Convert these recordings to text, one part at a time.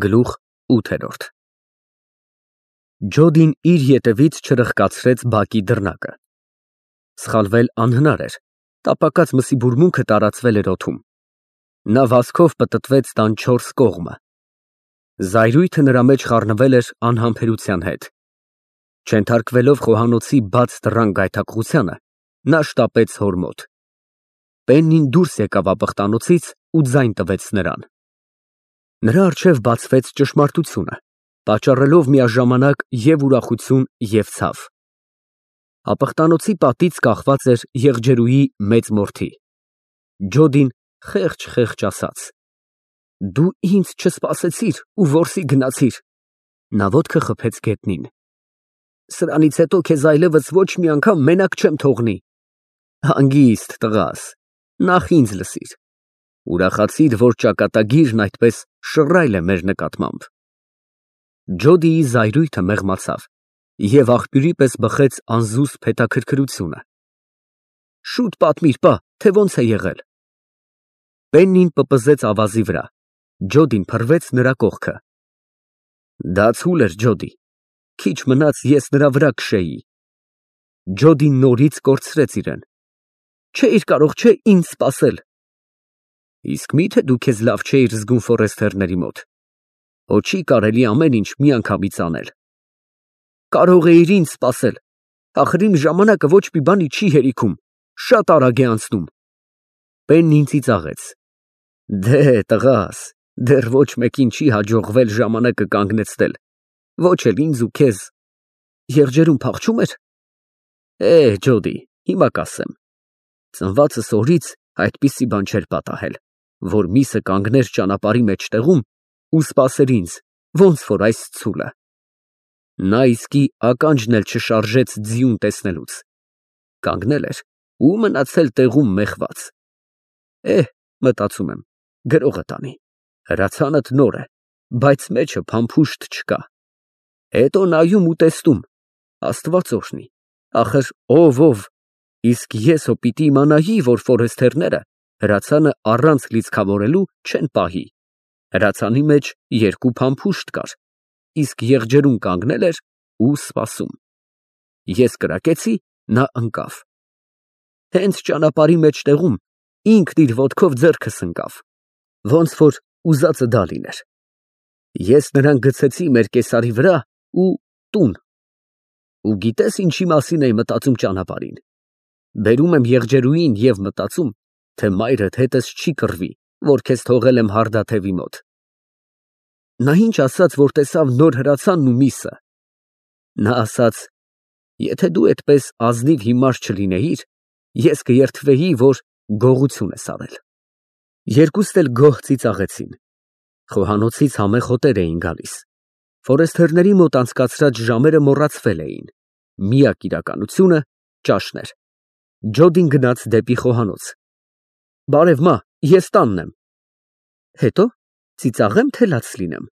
Գլուխ 8 Ջոդին իր ետևից չրխկացրեց բակի դռնակը։ Սխալվել անհնար էր, տապակած մսի բուրմունքը տարածվել էր օդում։ Նա վազքով պտտվեց տան 4 կողմը։ Զայրույթը նրա մեջ խառնվել էր անհամբերության հետ։ Չենթարկվելով խոհանոցի բաց դռան գայթակղությանը, նա շտապեց հոր մոտ։ Պեննին դուրս եկավ ապխտանոցից ու ձայն տվեց նրան։ Նրա առջև բացվեց ճշմարտությունը, պատճառելով միաժամանակ և ուրախություն, և ցավ։ Ապխտանոցի պատից կախված էր եղջերուի մեծ մորթի։ Ջոդին խեղճ ասաց. «Դու ինձ չսպասեցիր ու որսի գնացիր»։ Նա ոտքը խփեց գետնին։ «Սրանից հետո քեզ այլևս ոչ մի անգամ մենակ չեմ թողնի»։ Հանգիստ տղաս, նախ ինձ լսիր։ Ուրախացիր, որ ճակատագիրն այդպես շռայլ է մեր նկատմամբ։ Ջոդիի զայրույթը մեղմացավ և աղբյուրի պես բխեց անզուսպ հետաքրքրությունը։ Շուտ պատմիր, թե ոնց է եղել։ Պեննին պպզեց ավազի վրա, Ջոդին փռվեց նրա կողքը։ Դա ցուլ էր, Ջոդի, քիչ մնաց ես նրա վրա քշեի։ Ջոդին նորից կորցրեց իրեն։ Չէիր կարող ինձ սպասել։ Իսկ մի՞թե դու քեզ լավ չէիր զգում Ֆորեստերների մոտ։ Հո չի կարելի ամեն ինչ միանգամից անել։ Կարող էիր ինձ սպասել, ախր իմ ժամանակը ոչ մի բանի չի հերիքում, շատ արագ է անցնում։ Պեննին ծիծաղեց։ Դե, տղաս, դեռ ոչ մեկին չի հաջողվել ժամանակը կանգնեցնել, ոչ էլ ինձ ու քեզ։ Եղջերուն փախչում էր։ Ջոդի, հիմա կասեմ։ Ծնվածս օրից այդպիսի բան չէր պատահել, որ միսը կանգներ ճանապարհի մեջտեղում ու սպասեր ինձ, ոնց որ այս ցուլը։ Նա իսկի ականջն էլ չշարժեց ձիուն տեսնելուց։ Կանգնել էր ու մնացել տեղում մեխված։ Մտածում եմ, գրողը տանի։ Հրացանդ նոր է, բայց մեջը փամփուշտ չկա։ Հետո նայում ու տեսնում, Աստված օրհնի, ախր ով, իսկ ես հո պիտի իմանայի, որ Ֆորեստերները հրացանը առանց լիցքավորելու չեն պահի։ Հրացանի մեջ 2 փամփուշտ կար, իսկ եղջերուն կանգնել էր ու սպասում։ Ես կրակեցի, նա ընկավ։ Հենց ճանապարհի մեջտեղում ինքն իր ոտքով ձեռքս ընկավ, ոնց որ ուզածը դա լիներ։ Ես նրան գցեցի մեր կեսարի վրա ու տուն։ Ու գիտես ինչի մասին էի մտածում ճանապարհին։ Բերում եմ եղջերուին և մտածում, թե մայրդ հետս չի կռվի, որ քեզ թողել եմ հարդաթևի մոտ։ Նա ինչ ասաց, որ տեսավ նոր հրացանն ու միսը։ Նա ասաց. եթե դու այդպես ազնիվ հիմար չլինեիր, ես կերթվեի, որ գողություն ես արել։ Երկուստ էլ գոհ ծիծաղեցին։ Խոհանոցից համեղ հոտեր էին գալիս։ Ֆորեստերների մոտ անցկացրած ժամերը մոռացվել էին։ Միակ իրականությունը ճաշն էր։ Ջոդին գնաց դեպի խոհանոց։ Բարև, մա, ես տանն եմ։ Հետո ծիծաղեմ, թե լաց լինեմ։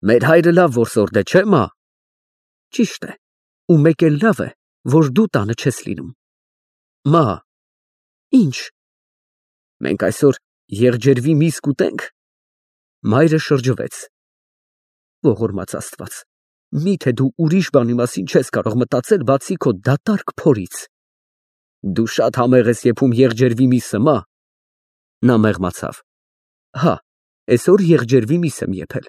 Մեր հայրը լավ որսորդ է, չէ՞, մա։ Ճիշտ է, ու մեկ էլ լավ է, որ դու տանը չես լինում։ Մա։ Ինչ։ Մենք այսօր եղջերվի միս կուտենք։ Մայրը շրջվեց։ Ողորմած Աստված, միթե դու ուրիշ բանի մասին չես կարող մտածել, բացի քո դատարկ փորից։ Դու շատ համեղ ես եփում եղջերվի միսը, մա։ Նա մեղմացավ։ Հա, այսօր եղջերվի միս եմ եփել։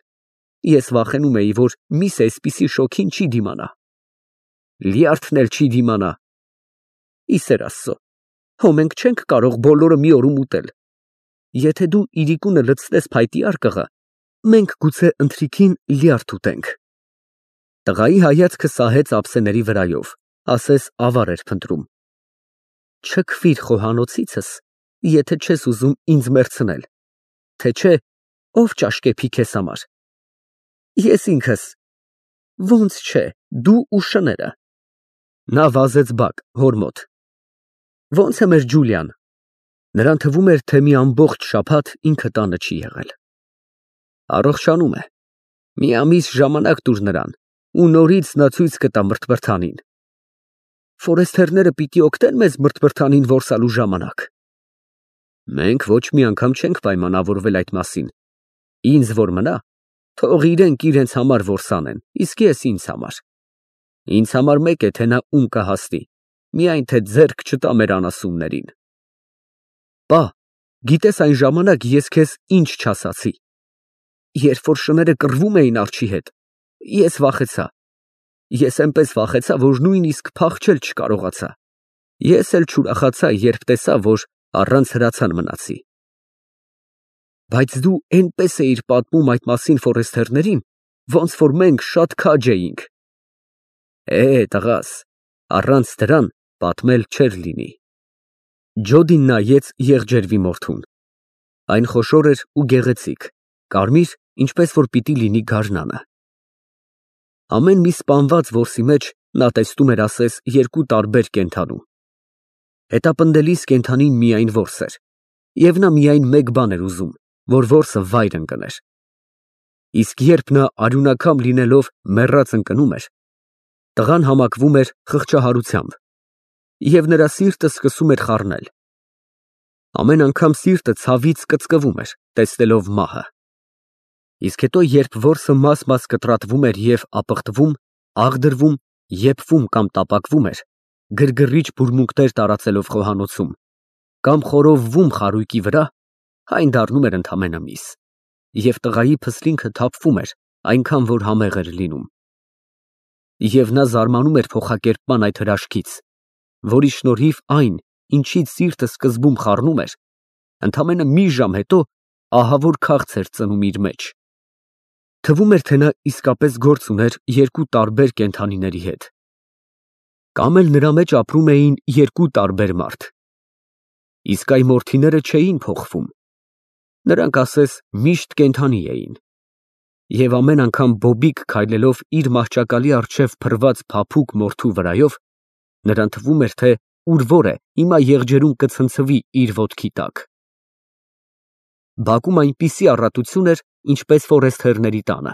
Ես վախենում էի, որ միսը այսպիսի շոգին չի դիմանա։ Լյարդն էլ չի դիմանա։ Ի սեր Աստծո, հո մենք չենք կարող բոլորը մի օրում ուտել։ Եթե դու իրիկունը լցնես փայտի արկղը, մենք գուցե ընթրիքին լյարդ ուտենք։ Տղայի հայացքը սահեց ափսեների վրայով, ասես ավար էր փնտրում։ Չքվիր խոհանոցիցս, եթե չես ուզում ինձ մեռցնել, թե չէ, ով ճաշկեպի քեզ համար։ Ես ինքս։ Ոնց չէ, դու ու շները։ Նա վազեց բակ, հոր մոտ։ Ոնց է մեր Ջուլիան։ Նրան թվում էր, թե մի ամբողջ շաբաթ ինքը տանը չի եղել։ Առողջանում է։ Մի ամիս ժամանակ տուր նրան, ու նորից նա ցույց կտա մրթմրթանին։ Ֆորեստերները պիտի օգնեն մեզ մրթմրթանին որսալու ժամանակ։ Մենք ոչ մի անգամ չենք պայմանավորվել այդ մասին։ Ինձ որ մնա, Թող իրենք իրենց համար որսանեն, իսկ ես ինձ համար։ Ինձ համար մեկ է, թե նա ում կհասնի, միայն թե ձեռք չտա մեր անասուններին։ Պա, գիտես այն ժամանակ ես քեզ ինչ չասացի։ Երբ որ շները կռվում էին արջի հետ, ես վախեցա։ Ես այնպես վախեցա, որ նույնիսկ փախչել չկարողացա։ Ես էլ չուրախացա, երբ տեսա, որ առանց հրացան մնացի։ Բայց դու այնպես էիր պատմում այդ մասին ֆորեստերներին, ոնց որ մենք շատ քաջ էինք։ Տղաս, առանց դրան պատմել չէր լինի։ Ջոդին նայեց եղջերվի մորթուն։ Այն խոշոր էր ու գեղեցիկ, կարմիր, ինչպես որ պիտի լինի գարնանը։ Ամեն մի սպանված որսի մեջ նա տեսնում էր ասես երկու տարբեր կենդանու։ Հետապնդելիս կենդանին միայն որս էր, և նա միայն մեկ բան էր ուզում, որ որսը վայր ընկներ։ Իսկ երբ նա արյունակամ լինելով մեռած ընկնում էր, տղան համակվում էր խղճահարությամբ, և նրա սիրտը սկսում էր խառնել։ Ամեն անգամ սիրտը ցավից կծկվում էր, տեսնելով մահը։ Իսկ հետո, երբ որսը մաս-մաս կտրատվում էր և ապխտվում, աղդրվում, եփվում կամ տապակվում էր, գրգռիչ բուրմունքներ տարածելով խոհանոցում, կամ խորովվում խարույկի վրա, այն դառնում էր ընդամենը միս, և տղայի փսլինքը թափվում էր, այնքան որ համեղ էր լինում։ Եվ նա զարմանում էր փոխակերպման այդ հրաշքից, որի շնորհիվ այն, ինչից սիրտը սկզբում խառնում էր, ընդամենը մի ժամ հետո ահավոր քաղց էր ծնում իր մեջ։ Թվում էր, թե նա իսկապես գործ ուներ երկու տարբեր կենդանիների հետ։ Կամ էլ նրա մեջ ապրում էին երկու տարբեր մարդ։ Իսկ այ մորթիները չէին փոխվում։ Նրանք ասես միշտ կենդանի էին։ Եվ ամեն անգամ բոբիկ քայլելով իր մահճակալի առջև փռված փափուկ մորթու վրայով, նրան թվում էր, թե ուր որ է, հիմա եղջերուն կցնցվի իր ոտքի տակ։ Բակում այնպիսի առատություն էր, ինչպես ֆորեստերների տանը։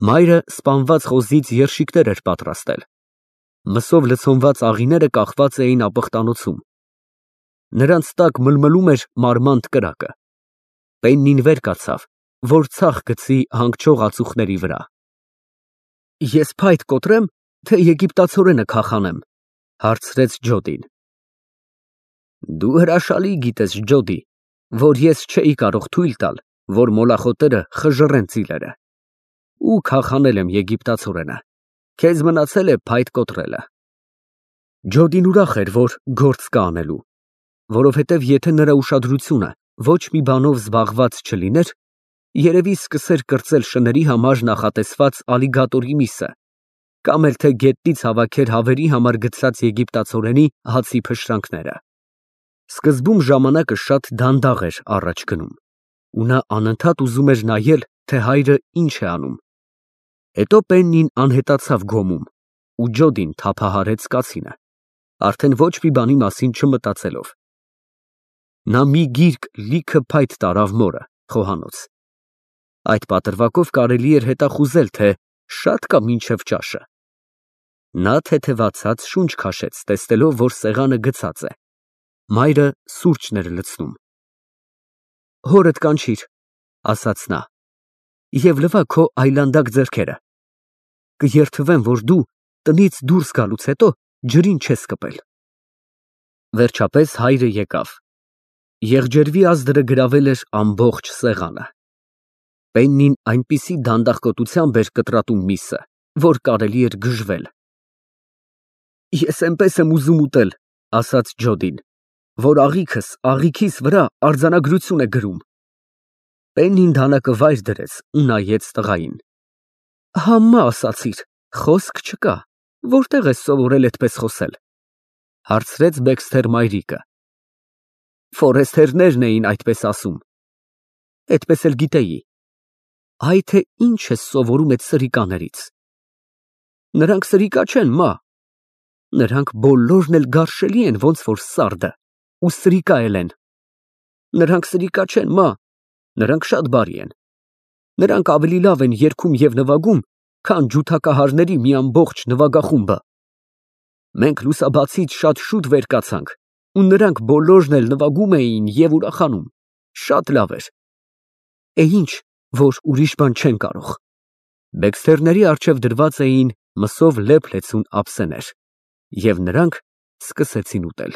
Մայրը սպանված խոզից երշիկներ էր պատրաստել։ Մսով լցոնված աղիները կախված էին ապխտանոցում։ Նրանց տակ մլմլում էր մարմանդ կրակը։ Պեննին վեր կացավ, որ ցախ գցի հանգչող ածուխների վրա։ Ես փայտ կոտրեմ, թե եգիպտացորենը քախանեմ, հարցրեց Ջոդին։ Դու հրաշալի գիտես, Ջոդի, որ ես չէի կարող թույլ տալ, որ մոլախոտերը խժռեն ծիլերը։ Ու քախանել եմ եգիպտացորենը, քեզ մնացել է փայտ կոտրելը։ Ջոդին ուրախ էր, որ գործ կա անելու, որովհետև եթե նրա ուշադրությունը ոչ մի բանով զբաղված չլիներ, երևի սկսեր կրծել շների համար նախատեսված ալիգատորի միսը, կամ էլ թե գետնից հավաքեր հավերի համար գցած եգիպտացորենի հացի փշրանքները։ Սկզբում ժամանակը շատ դանդաղ էր առաջ գնում, ու նա անընդհատ ուզում էր նայել, թե հայրը ինչ է անում։ Հետո Պեննին անհետացավ գոմում, ու Ջոդին թափահարեց կացինը, արդեն ոչ մի բանի մասին չմտածելով։ Նա մի գիրք լիքը փայտ տարավ մորը, խոհանոց։ Այդ պատրվակով կարելի էր հետախուզել, թե շատ կա մինչև ճաշը։ Նա թեթևացած շունչ քաշեց, տեսնելով, որ սեղանը գցած է։ Մայրը սուրճն էր լցնում։ Հորդ կանչիր, ասաց նա, և լվա քո այլանդակ ձեռքերը։ Կերթվեմ, որ դու տնից դուրս գալուց հետո ջրին չես կպել։ Վերջապես հայրը եկավ։ Եղջերվի ազդրը գրավել էր ամբողջ սեղանը։ Պեննին այնպիսի դանդաղկոտությամբ էր կտրատում միսը, որ կարելի էր գժվել։ Ես այնպես եմ ուզում ուտել, ասաց Ջոդին, որ աղիքս աղիքիս վրա արձանագրություն է գրում։ Պեննին դանակը վայր դրեց ու նայեց տղային։ Համա ասացիր, խոսք չկա, որտեղ ես սովորել այդպես խոսել, հարցրեց Բեքսթեր մայրիկը։ Ֆորեստերներն էին այդպես ասում։ Այդպես էլ գիտեի։ Այ թե ինչ ես սովորում այդ սրիկաներից։ Նրանք սրիկա չեն, մա։ Նրանք բոլորն էլ գարշելի են, ոնց որ սարդը, ու սրիկա էլ են։ Նրանք սրիկա չեն, մա, նրանք շատ բարի են։ Նրանք ավելի լավ են երգում և նվագում, քան ջութակահարների մի ամբողջ նվագախումբը։ Մենք լուսաբացից շատ շուտ վեր կացանք, ու նրանք բոլորն էլ նվագում էին և ուրախանում։ Շատ լավ էր։ Ինչ, որ ուրիշ բան չեն կարող։ Բեքսթերների առջև դրված էին մսով լեփ լեցուն ափսեներ, և նրանք սկսեցին ուտել։